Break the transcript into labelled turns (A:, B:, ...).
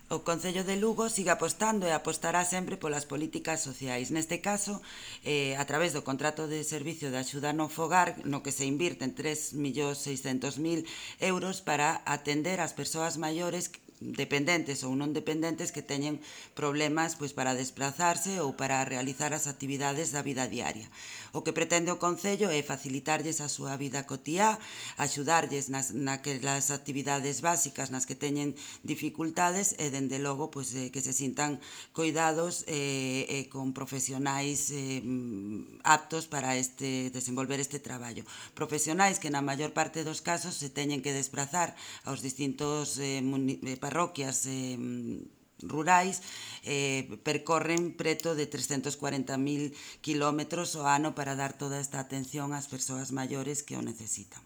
A: O Concello de Lugo sigue apostando e apostará sempre polas políticas sociais. Neste caso, a través do contrato de servicio de axuda no fogar, no que se invirten 3.600.000 euros para atender as persoas maiores dependentes ou non dependentes que teñen problemas pois para desplazarse ou para realizar as actividades da vida diaria. O que pretende o Concello é facilitarlles a súa vida cotiá, axudarlles naquelas actividades básicas nas que teñen dificultades e, dende logo, pois, que se sintan coidados con profesionais aptos para desenvolver este traballo. Profesionais que na maior parte dos casos se teñen que desplazar aos distintos parroquias rurais, percorren preto de 340.000 kilómetros ao ano para dar toda esta atención ás persoas maiores que o necesitan.